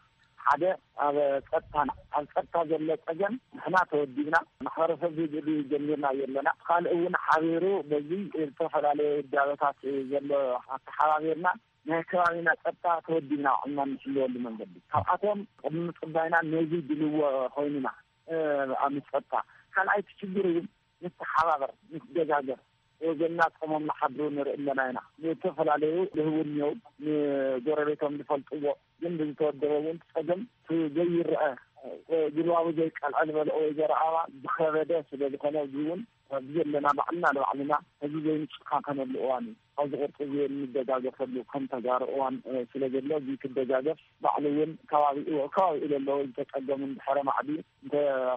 ሓደ ኣብ ጸጥታና፣ ኣብ ጸጥታ ዘሎ ጸገም ንሕና ተወዲብና ማሕበረሰብ ዝድሊ ጀሚርና ኣለና። ካልእ እውን ሓቢሩ በዚ ዝተፈላለዩ ውዳበታት ዘሎ ኣተሓባቢርና ናይ ከባቢና ጸጥታ ተወዲብና ባዕልና እንሕልወሉ መንገዲ። ካብኣቶም ቅድሚ ምጽባይና ነዚ ድልዎ ኮይንና፣ እ፣ ኣብ ጸጥታ። ካልኣይ እቲ ችግር እውን ንተሓባበር፣ ንትደጋገፍ። ወገንና ጾሞም ንሓድሩ ንርኢ ኣለና ኢና። ንተፈላለዩ ልህቡ እኒአው፣ ንጎረቤቶም ዝፈልጥዎ፣ ግን ብዝተወደበ እውን ጸገም እቲ ዘይረአ፣ እ፣ ጉልባቡ ዘይቀልዐ ዝበልኦ ወይዘሮ ኣበባ ዝኸበደ ስለ ዝኾነ፣ እዚ እውን ኣብዚ ዘለና ባዕልና ንባዕልና ህዝቢ ዘይንጨካከነሉ እዋን እዩ። ኣብዚ ቅርፂ እዚ እንደጋገፈሉ ከም ተጋሩ እዋን፣ እ፣ ስለ ዘሎ፣ እዚ ክደጋገፍ ባዕሉ እውን ከባቢኡ፣ ከባቢኡ ለለዎ ዝተፀገሙ እንድሕረ ማዕዲ እንተ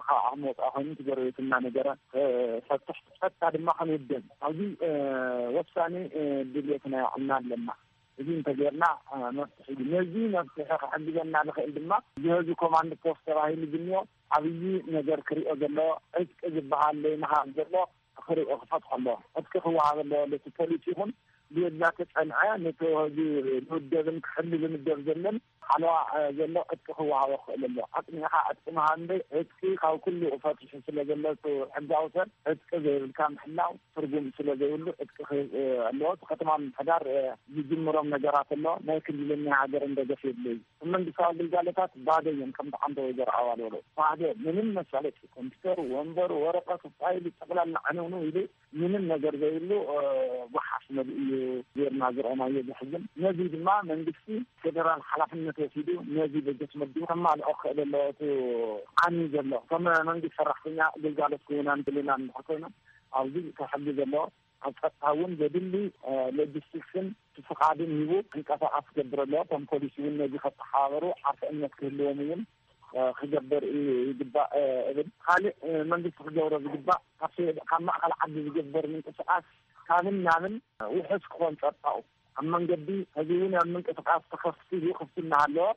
ካብ ዓቕሚ ወፃኢ ኮይኑ፣ እቲ ጎረቤትና ነገረ፣ እ፣ ፈትሕ ጸጥታ ድማ ክንውደን ኣብዚ፣ እ፣ ወሳኒ፣ እ፣ ድልየት ናይ ባዕልና ኣለና። እዚ እንተጌርና፣ እ፣ መፍትሒ እዩ። ነዚ መፍትሒ ክሕግዘና ዝኽእል ድማ ዝህዚ ኮማንድ ፖስት ተባሂሉ ዝኒኦ ዓብዪ ነገር ክሪኦ ዘለዎ፣ ዕጥቂ ዝበሃል ዘይምሃብ ዘሎ ክሪኦ ክፈትሖ ኣለዎ። ዕጥቂ ክወሃብ ኣለዎ። ለቲ ፖሊስ ይኹን ብየላ ተጸንዐ ነቲ ህዚ ዝውደብን ክሕሊ ዝምደብ ዘለን ሓለዋ፣ እ፣ ዘሎ ዕጥቂ ክወሃቦ ክኽእል ኣለዎ። ኣጽኒዕኻ ዕጥቂ ምሃብ እምበይ፣ ዕጥቂ ካብ ኩሉ ፈትሑ ስለ ዘሎ፣ እቲ ሕጋዊ ሰብ ዕጥቂ ዘይብልካ ምሕላው ትርጉም ስለ ዘይብሉ፣ ዕጥቂ ክህብ፣ እ፣ ኣለዎ። እቲ ከተማ ምምሕዳር፣ እ፣ ዝጅምሮም ነገራት ኣሎ። ናይ ክልልን ናይ ሃገርን ደገፍ የድልዮ እዩ። መንግስታዊ ግልጋሎታት ባዶ እዮም። ከምቲ ዓንተ ወይዘሮ ኣዋል በሎ፣ ባዶ፣ ምንም መሳለጢ፣ ኮምፒውተር፣ ወንበሩ፣ ወረቀቱ፣ ፋይሉ፣ ጠቅላላ ዕንውንው ኢሉ ምንም ነገር ዘይብሉ፣ እ፣ ጓሓፍ መሊኡ እዩ ጌርና ዝረኣናዮ፣ ዘሕዝን። ነዚ ድማ መንግስቲ ፌደራል ሓላፍነት ወሲዱ ነዚ በጀት መዲቡ ከማልኦ ክኽእል ኣለዎ። እቲ ዓሚ ዘሎ ከም መንግስቲ ሰራሕተኛ ግልጋሎት ክህቡና ንደሊ ኢና እንድሕር ኮይኖም፣ ኣብዚ ተሕጊ ዘለዎ ኣብ ጸጥታ እውን ዘድሊ፣ እ፣ ሎጂስቲክስን ፍቓድን ሂቡ ክንቀሳቐስ ክገብር ኣለዎ። እቶም ፖሊስ እውን ነዚ ከተሓባበሩ ዓርሰ እምነት ክህልዎም እውን ክገብር ይግባእ እብል። ካልእ መንግስቲ ክገብሮ ዝግባእ ካብ ማእኸል ዓዲ ዝግበር ምንቅስቃስ ካብን ናብን ውሑስ ክኾን ጸጣው ኣብ መንገዲ ሕዚ እውን ኣብ ምንቅስቃስ ተኸፊቱ ክፍትና ኣለዎ።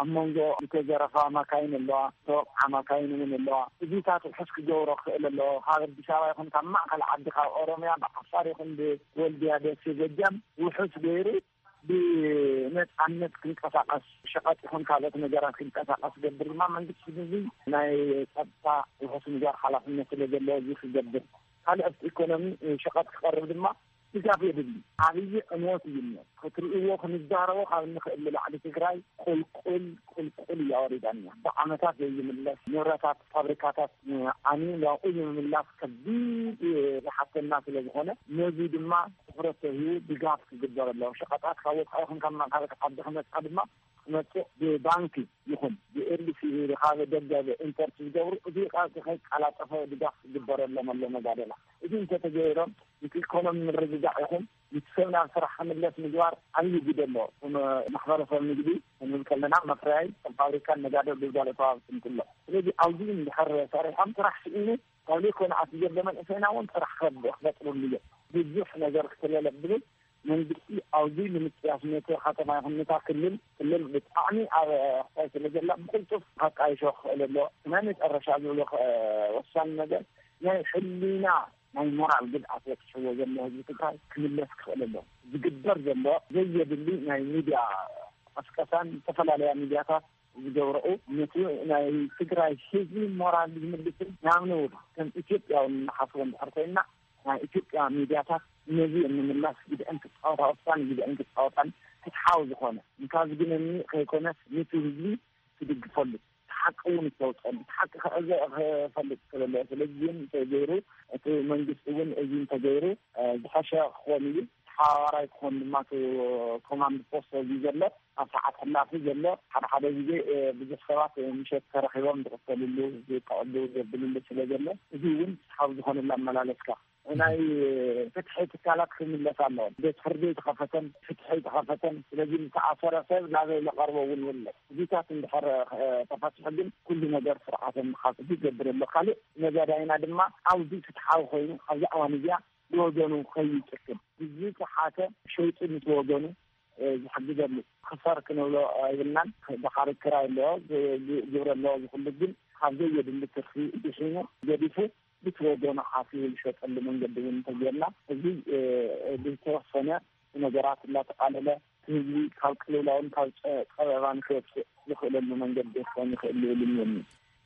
ኣብ መንጎ ዝተዘረፋ ማካይን ኣለዋ፣ ተወቅዓ ማካይን እውን ኣለዋ። እዚታት ውሑስ ክገብሮ ክኽእል ኣለዎ። ካብ ኣዲስ ኣበባ ይኹን ካብ ማእኸል ዓዲ ካብ ኦሮምያ ብዓፋር ይኹን ብወልድያ ደሴ ጎጃም ውሑስ ገይሩ ብነፃነት ክንቀሳቀስ ሸቐጥ ይኹን ካልኦት ነገራት ክንቀሳቀስ ገብር ድማ መንግስቲ ህዝቢ ናይ ጸጥታ ውሑስ ምግባር ሓላፍነት ስለ ዘለዎ እዚ ክገብር ካልኦት ኢኮኖሚ ሸቐጥ ክቐርብ ድማ ድጋፍ የድሊ። ዓብዪ ዕንወት እዩ እሞ ክትርእይዎ ክንዛረቦ ካብ እንኽእል ንላዕሊ ትግራይ ቁልቁል ቁልቁል እያወሪዳና ብዓመታት ዘይምለስ ንብረታት ፋብሪካታት ዓንዩ ናብኡ ንምምላስ ከቢድ ዝሓተና ስለ ዝኾነ ነዚ ድማ ትኹረት ተሂቡ ድጋፍ ክግበረሎም ሸቐጣት ካብ ወፃኢ ይኹን ካብ ማእኸል ዓዲ ክመፃ ድማ ክመፅእ ብባንኪ ይኹን ብኤልሲ ካብ ደገ ኢምፖርት ዝገብሩ እዚ ከይቀላጠፈ ድጋፍ ክግበረሎም ኣሎ መጋደላ። እዚ እንተተገይሮም እቲ ኢኮኖሚ ምርግጋዕ ይኹን እቲ ሰብ ናብ ስራሕ ክምለስ ምግባር ዓብዪ ግደ ኣለዎ። ማሕበረሰብ ንግዲ ክንብል ከለና መፍረያይ ፋብሪካን ነጋዶ ግልጋሎት ወሃብትን ኩሎ ስለዚ ኣብዚ እንድሕር ሰሪሖም ስራሕ ስኢኑ ካብ ዘይኮነ ኣቲ ዘሎ መንእሰይና እውን ስራሕ ክፈጥሩሉ እዮም። ብዙሕ ነገር ክትለለ ብዝብል መንግስቲ ኣብዚ ንምጥያስ ነቲ ከተማ ይኹን ነታ ክልል ክልል ብጣዕሚ ኣብ ኣሕሳይ ስለ ዘላ ብቅልጡፍ ከቃይሾ ክኽእል ኣሎ። ናይ መጨረሻ ዝብሎ ወሳኒ ነገር ናይ ሕሊና ናይ ሞራል ግድኣት በፅሕዎ ዘሎ ህዝቢ ትግራይ ክምለስ ክኽእል ኣሎ። ዝግበር ዘሎ ዘየድሊ ናይ ሚድያ ቀስቀሳን ዝተፈላለያ ሚድያታት ዝገብረኡ ነቲ ናይ ትግራይ ህዝቢ ሞራል ዝምልስን ናብ ነውር ከም ኢትዮጵያዊ ንሓስቦ እንድሕር ኮይንና ናይ ኢትዮጵያ ሚድያታት ነዚ ንምምላስ ግድአን ክፃወታ ወሳኒ ግድአን ክፃወታን ፍትሓዊ ዝኾነ እንካ ዝግነኒ ከይኮነስ ነቲ ህዝቢ ትድግፈሉ ሓቂ እውን ዝተወፀሉ ሓቂ ክዕዘ ክፈልጥ ስለለ ስለዚ ግን እንተገይሩ እቲ መንግስቲ እውን እዚ እንተገይሩ ዝሓሸ ክኾን እዩ። ተሓባባራይ ክኾን ድማ ኮማንድ ፖስት እዚ ዘሎ ኣብ ሰዓት ሕላፊ ዘሎ ሓደ ሓደ ግዜ ብዙሕ ሰባት ምሸት ተረኺቦም ዝቕተልሉ ዝጠቐሉ ዘብልሉ ስለ ዘሎ እዚ እውን ካብ ዝኾነላ ኣመላለስካ ናይ ፍትሒ ትካላት ክምለስ ኣለዎ። ቤት ፍርዲ ተኸፈተን ፍትሒ ተኸፈተን ስለዚ ዝተኣሰረ ሰብ ናበይ ለቐርቦ እውን የለ እዚታት እንድሕር ተፈትሑ ግን ኩሉ ነገር ስርዓተ ምሓፍቲ ይገብር ኣሎ። ካልእ ነጋዳይና ድማ ኣብዚ ፍትሓዊ ኮይኑ ኣብዚ ኣዋን እዚኣ ብወገኑ ከይጭክን ብዝተሓተ ሸይጡ ምስ ወገኑ ዝሕግዘሉ ክፈር ክንብሎ ኣይብልናን። ድሓር ክራይ ኣለዎ ግብሪ ኣለዎ ዝኩሉ ግን ካብ ዘየድሊ ትርፊ ድሒኑ ገዲፉ ብቲ ወገኑ ሓፊሩ ዝሸጠሉ መንገዲ እውን እንተጌርና እዚ ብዝተወሰነ ነገራት እናተቃለለ ህዝቢ ካብ ቅልውላውን ካብ ፀበባን ክወፅእ ዝኽእለሉ መንገዲ ክኾን ይኽእል ይብል እምነኒ።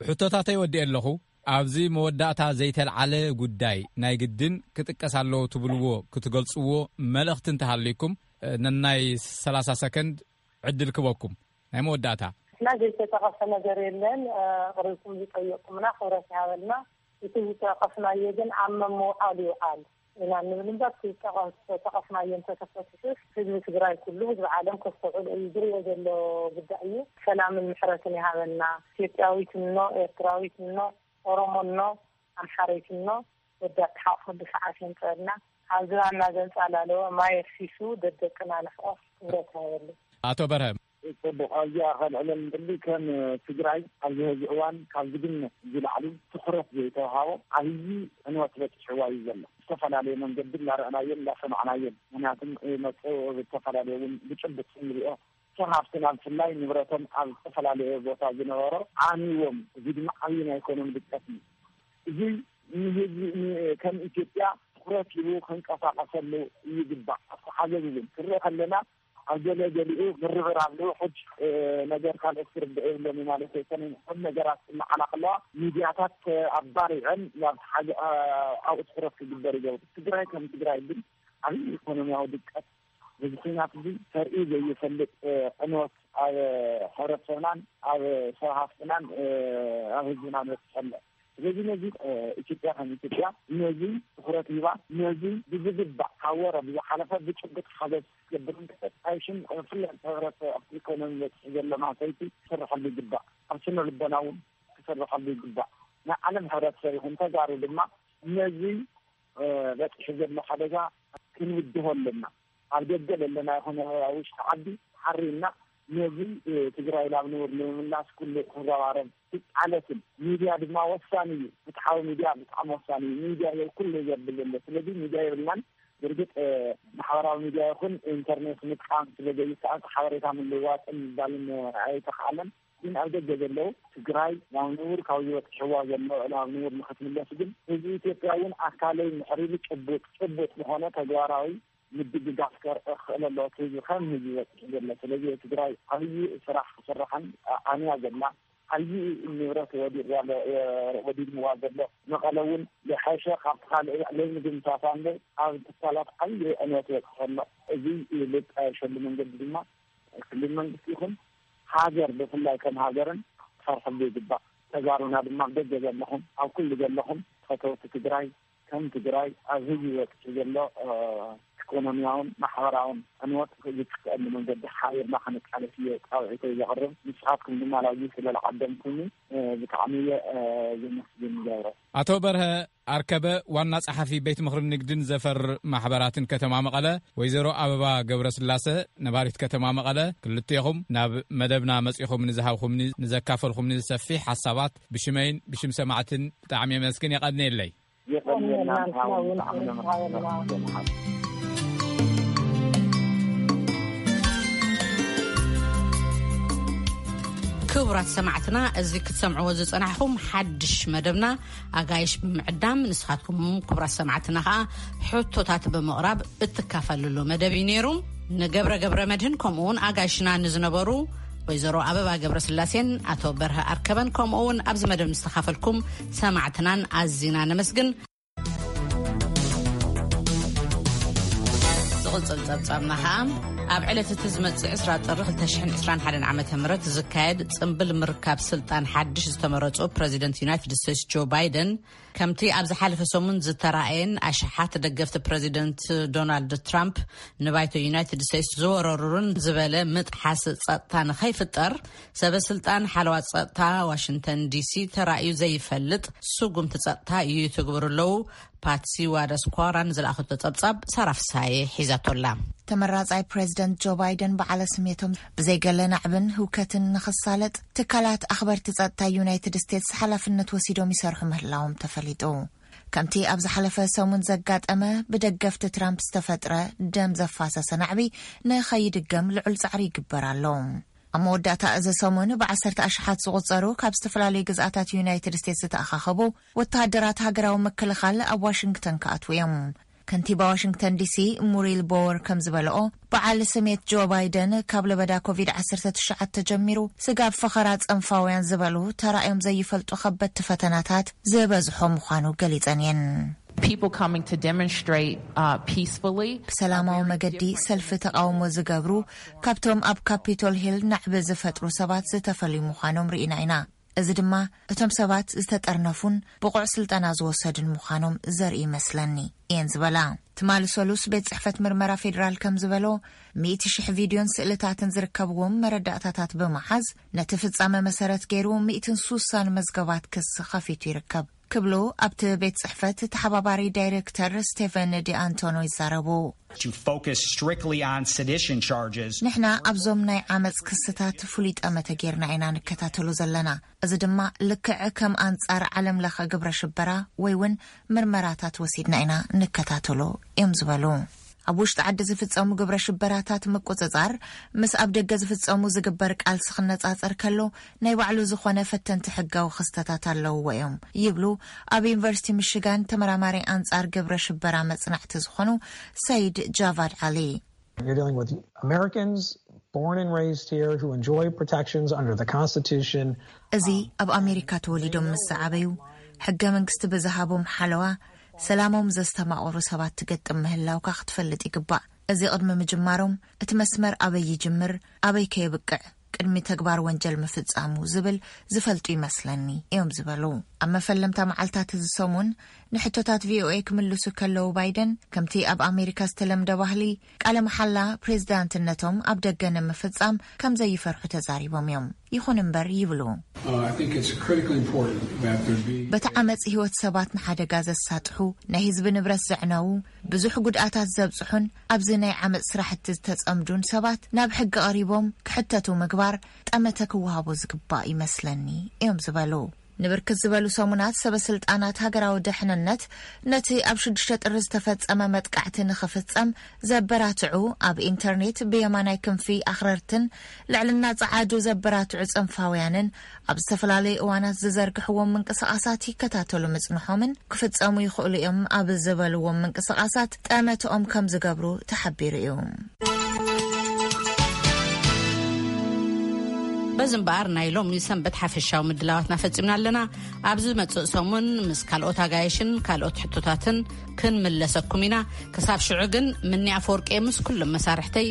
ሕቶታተይ ወዲኤ ኣለኹ። ኣብዚ መወዳእታ ዘይተልዓለ ጉዳይ ናይ ግድን ክጥቀስ ኣለዎ ትብልዎ ክትገልጽዎ መልእኽቲ እንተሃልይኩም ነናይ ሰላሳ ሰከንድ ዕድል ክበኩም። ናይ መወዳእታ። እና ዘይተጠቐሰ ነገር የለን። ቅርብኩም ዝጠየቁምና ክብረት ይሃበልና። እቲ ዝጠቀስናዮ ግን ኣብ መምውዓል ይውዓል ኢና እንብል እምበር እቲ ዝጠቀስናዮ እንተተፈትሑስ ህዝቢ ትግራይ ኩሉ ህዝቢ ዓለም ከስተውዕሎ እዩ ዝሪኦ ዘሎ ጉዳይ እዩ። ሰላምን ምሕረትን ይሃበና። ኢትዮጵያዊት እኖ፣ ኤርትራዊት እኖ፣ ኦሮሞ እኖ፣ ኣምሓረይት እኖ ወዲ ኣተሓቕፈሉ ሰዓት የምፀአልና። ኣብ ዝባንና ዘንፃላለወ ማይ ኣፍሲሱ ደደቅና ንሕቆፍ ክብረት ይሃበሉ። ኣቶ በርሀ። ፅቡቕ ኣብዚኣ ከልዕለን ደሊ ከም ትግራይ ኣብዚ ሕዚ እዋን ካብ ዝግመት ዝላዕሊ ትኹረት ዘይተውሃቦ ዓብዪ ዕንወት በፂሕዋ እዩ ዘሎ። ዝተፈላለየ መንገዲ እንዳረእናዮን እንዳሰማዕናዮን ምክንያቱም መፅኡ ብዝተፈላለየ እውን ብጭብጥ ንሪኦ ሰብ ሃፍትና ብፍላይ ንብረቶም ኣብ ዝተፈላለየ ቦታ ዝነበሮ ዓንዎም እዚ ድማ ዓብዪ ናይ ኢኮኖሚ ድቀት እዩ። እዚ ንህዝቢ ከም ኢትዮጵያ ትኩረት ሂቡ ክንቀሳቀሰሉ ይግባእ። ኣብቲ ሓገዝ እውን ክንርኢ ከለና ኣብ ገለ ገሊኡ ምርብራብ ልውሑድ ነገር ካልኦት ክርድኦ የብሎምን ማለት ኣይኮነን። ኩሉ ነገራት እናዓላ ከለዋ ሚድያታት ኣባሪዐን ናብ ሓደ ኣብኡ ትኩረት ክግበር ይገብሩ። ትግራይ ከም ትግራይ ግን ዓብዪ ኢኮኖሚያዊ ድቀት በዚ ኩናት እዚ ተርእዩ ዘይፈልጥ ዕንወት ኣብ ሕብረተሰብናን ኣብ ሰብ ሃፍትናን ኣብ ህዝብናን በፂሑ ኣሎ። ስለዚ ነዚ ኢትዮጵያ ከም ኢትዮጵያ ነዚ ትኩረት ሂባ ነዚ ብዝግባእ ካብ ወረ ብዝሓለፈ ብጭብጥ ሓገዝ ክትገብር እንተተጣይሽን ብፍላይ ሕብረተሰብ ኣብቲ ኢኮኖሚ በፂሑ ዘሎ ማሰይቲ ክስርሐሉ ይግባእ። ኣብ ስነ ልቦና እውን ክስርሐሉ ይግባእ። ናይ ዓለም ሕብረተሰብ ይኹን ተጋሩ ድማ ነዚ በፂሑ ዘሎ ሓደጋ ክንውድሆ ኣለና። ኣብ ደገ ዘለና ይኹን ኣብ ውሽጢ ዓዲ ሓሪና ነዚ ትግራይ ናብ ንቡር ንምምላስ ኩሉ ክረባረብ ክቃለስን፣ ሚድያ ድማ ወሳኒ እዩ። ፍትሓዊ ሚድያ ብጣዕሚ ወሳኒ እዩ። ሚድያ ኩሉ ዘብል ዘሎ። ስለዚ ሚድያ የብልናን። ብርግጥ ማሕበራዊ ሚድያ ይኹን ኢንተርኔት ምጥቃም ስለ ዘይከኣል ሓበሬታ ምልዋጥን ምባልን ኣይተኽኣለን። ግን ኣብ ደገ ዘለዉ ትግራይ ናብ ንቡር ካብ ዝበፅሕዋ ዘሎ ናብ ንቡር ንክትምለስ ግን ህዝቢ ኢትዮጵያ እውን ኣካለይ ምሕሪሉ ጭቡጥ ጭቡጥ ዝኾነ ተግባራዊ ምድግጋፍ ከርኢ ክኽእል ኣለዎ። እቲ ህዝቢ ከም ህዝቢ በፂሑ ዘሎ። ስለዚ ትግራይ ዓብዪ ስራሕ ክስራሕን ኣንያ ዘላ ዓብዪ ንብረት ወዲቕዋ ኣሎ፣ ወዲድዋ ዘሎ። መቐለ እውን ዝሐሸ ካብቲ ካልእ ለይምድምሳሳ እንበር ኣብ ትካላት ዓብዪ ዕንወት በፂሑ ኣሎ። እዚ ልጣየሸሉ መንገዲ ድማ ክልል መንግስቲ ይኹን ሃገር ብፍላይ ከም ሃገርን ክሰርሐሉ ይግባእ። ተጋሩና ድማ ኣብ ደገ ዘለኹም ኣብ ኩሉ ዘለኹም ፈተውቲ ትግራይ ከም ትግራይ ኣብ ህዝቢ በፂሑ ዘሎ ኢኮኖሚያውን ማሕበራውን ዕንወት ዝጥፍአሉ መንገዲ ሓቢርና ክንቃለስ እየ ፃውዒተይ ዘቕርብ። ንስኻትኩም ድማ ላዚ ስለ ዝዓደምኩኒ ብጣዕሚ እየ ዘመስግን ይገብረ። ኣቶ በርሀ ኣርከበ ዋና ጸሓፊ ቤት ምኽሪ ንግድን ዘፈር ማሕበራትን ከተማ መቐለ፣ ወይዘሮ ኣበባ ገብረስላሰ ነባሪት ከተማ መቐለ፣ ክልቴኹም ናብ መደብና መጺኹም ንዝሃብኹምኒ ንዘካፈልኹምኒ ሰፊሕ ሓሳባት ብሽመይን ብሽም ሰማዕትን ብጣዕሚ የመስግን የቐንየለይ። የቐንየልና ንሕና እውን ብጣዕሚ ነመስግን። ክቡራት ሰማዕትና፣ እዚ ክትሰምዕዎ ዝጸናሕኩም ሓድሽ መደብና ኣጋይሽ ብምዕዳም፣ ንስኻትኩም ክቡራት ሰማዕትና ከኣ ሕቶታት ብምቕራብ እትካፈልሉ መደብ እዩ ነይሩ። ንገብረ ገብረ መድህን ከምኡ እውን ኣጋይሽና ንዝነበሩ ወይዘሮ ኣበባ ገብረስላሴን ኣቶ በርሀ ኣርከበን ከምኡ እውን ኣብዚ መደብ ንዝተኻፈልኩም ሰማዕትናን ኣዚና ነመስግን። ዝቕጽል ጸብጻብና ኸኣ ኣብ ዕለት እቲ ዝመጽእ ዕስራ ጥሪ ክልተ ሽሕን ዕስራን ሓደን ዓመተ ምህረት ዝካየድ ጽምብል ምርካብ ስልጣን ሓድሽ ዝተመረጹ ፕረዚደንት ዩናይትድ ስቴትስ ጆ ባይደን፣ ከምቲ ኣብ ዝሓለፈ ሰሙን ዝተራእየን ኣሽሓት ደገፍቲ ፕረዚደንት ዶናልድ ትራምፕ ንባይቶ ዩናይትድ ስቴትስ ዝወረሩን ዝበለ ምጥሓስ ጸጥታ ንኸይፍጠር፣ ሰበ ስልጣን ሓለዋ ጸጥታ ዋሽንግተን ዲሲ ተራእዩ ዘይፈልጥ ስጉምቲ ጸጥታ ይትግብሩ ኣለዉ። ፓትሲ ዋዳስኳራ ንዝለኣኸቶ ጸብጻብ ሳራ ፍሳዬ ሒዛቶላ። ተመራጻይ ፕሬዚደንት ጆ ባይደን በዓለ ስሜቶም ብዘይገለ ናዕብን ህውከትን ንኽሳለጥ ትካላት ኣኽበርቲ ጸጥታ ዩናይትድ ስቴትስ ሓላፍነት ወሲዶም ይሰርሑ ምህላዎም ተፈሊጡ። ከምቲ ኣብ ዝሓለፈ ሰሙን ዘጋጠመ፣ ብደገፍቲ ትራምፕ ዝተፈጥረ ደም ዘፋሰሰ ናዕቢ ንኸይድገም ልዑል ጻዕሪ ይግበር ኣሎ። ኣብ መወዳእታ እዚ ሰሙን ብዓሰርተ ኣሽሓት ዝቑጸሩ ካብ ዝተፈላለዩ ግዝኣታት ዩናይትድ ስቴትስ ዝተኣኻኸቡ ወተሃደራት ሃገራዊ ምክልኻል ኣብ ዋሽንግተን ክኣትዉ እዮም። ከንቲባ ዋሽንግተን ዲሲ ሙሪል ቦወር ከም ዝበለኦ፣ በዓል ስሜት ጆ ባይደን ካብ ለበዳ ኮቪድ ዓሰርተ ትሽዓተ ጀሚሩ ስጋብ ፈኸራ ጸንፋውያን ዝበሉ ተራእዮም ዘይፈልጡ ከበድቲ ፈተናታት ዝበዝሖ ምዃኑ ገሊጸን እየን። People coming to demonstrate uh, peacefully. ብሰላማዊ መገዲ ሰልፊ ተቃውሞ ዝገብሩ ካብቶም ኣብ ካፒቶል ሂል ናዕቢ ዝፈጥሩ ሰባት ዝተፈልዩ ምዃኖም ርኢና ኢና። እዚ ድማ እቶም ሰባት ዝተጠርነፉን ብቑዕ ስልጠና ዝወሰዱን ምዃኖም ዘርኢ ይመስለኒ እየን ዝበላ። ትማሊ ሰሉስ ቤት ጽሕፈት ምርመራ ፌዴራል ከም ዝበሎ፣ ሚእቲ ሽሕ ቪድዮን ስእልታትን ዝርከብዎም መረዳእታታት ብምሓዝ፣ ነቲ ፍጻመ መሰረት ገይሩ ሚእትን ሱሳን መዝገባት ክሲ ከፊቱ ይርከብ ክብሉ ኣብቲ ቤት ጽሕፈት ተሓባባሪ ዳይሬክተር ስቴፈን ዲኣንቶኖ ይዛረቡ። To focus strictly on sedition charges. ንሕና ኣብዞም ናይ ዓመጽ ክስታት ፍሉይ ጠመተ ጌርና ኢና ንከታተሎ ዘለና። እዚ ድማ ልክዕ ከም ኣንጻር ዓለም ለኸ ግብረ ሽበራ ወይ እውን ምርመራታት ወሲድና ኢና ንከታተሎ እዮም ዝበሉ። ኣብ ውሽጢ ዓዲ ዝፍጸሙ ግብረ ሽበራታት ምቁጽጻር ምስ ኣብ ደገ ዝፍጸሙ ዝግበር ቃልሲ ክነጻጸር ከሎ ናይ ባዕሉ ዝኾነ ፈተንቲ ሕጋዊ ክስተታት ኣለውዎ እዮም ይብሉ ኣብ ዩኒቨርሲቲ ሚሽጋን ተመራማሪ ኣንጻር ግብረ ሽበራ መጽናዕቲ ዝኾኑ ሰይድ ጃቫድ ዓሊ። You're dealing with Americans born and raised here who enjoy protections under the Constitution. እዚ ኣብ ኣሜሪካ ተወሊዶም ምስ ዝዓበዩ፣ ሕገ መንግስቲ ብዝሃቦም ሓለዋ ሰላሞም ዘስተማቕሩ ሰባት ትገጥም ምህላውካ ክትፈልጥ ይግባእ። እዚ ቅድሚ ምጅማሮም እቲ መስመር ኣበይ ይጅምር፣ ኣበይ ከየብቅዕ ቅድሚ ተግባር ወንጀል ምፍጻሙ ዝብል ዝፈልጡ ይመስለኒ እዮም ዝበሉ። ኣብ መፈለምታ መዓልታት እዚ ሰሙን ንሕቶታት ቪኦኤ ክምልሱ ከለዉ፣ ባይደን ከምቲ ኣብ ኣሜሪካ ዝተለምደ ባህሊ፣ ቃለ መሓላ ፕሬዝዳንትነቶም ኣብ ደገ ንምፍጻም ከም ዘይፈርሑ ተዛሪቦም እዮም። ይኹን እምበር ይብሉ፣ Uh, I think it's critically important that there be በቲ ዓመፅ ህይወት ሰባት ንሓደጋ ዘሳጥሑ፣ ናይ ህዝቢ ንብረት ዘዕነዉ፣ ብዙሕ ጉድኣታት ዘብፅሑን ኣብዚ ናይ ዓመፅ ስራሕቲ ዝተፀምዱን ሰባት ናብ ሕጊ ቀሪቦም ክሕተቱ ምግባር ጠመተ ክወሃቦ ዝግባእ ይመስለኒ እዮም ዝበሉ። ንብርክት ዝበሉ ሰሙናት ሰበ ስልጣናት ሃገራዊ ደሕንነት ነቲ ኣብ ሽዱሽተ ጥሪ ዝተፈጸመ መጥቃዕቲ ንኽፍጸም ዘበራትዑ፣ ኣብ ኢንተርኔት ብየማናይ ክንፊ ኣኽረርትን ልዕልና ጸዓዱ ዘበራትዑ ጽንፋውያንን ኣብ ዝተፈላለዩ እዋናት ዝዘርግሕዎም ምንቅስቓሳት ይከታተሉ ምጽንሖምን ክፍጸሙ ይኽእሉ እዮም ኣብ ዝበልዎም ምንቅስቓሳት ጠመትኦም ከም ዝገብሩ ተሓቢሩ እዩ። በዚ እምበኣር ናይ ሎሚ ሰንበት ሓፈሻዊ ምድላዋትና ፈጺምና ኣለና። ኣብ ዝመጽእ ሰሙን ምስ ካልኦት ኣጋየሽን ካልኦት ሕቶታትን ክንምለሰኩም ኢና። ክሳብ ሽዑ ግን፣ ምኒ ኣፈወርቂ ምስ ኩሎም መሳርሕተይ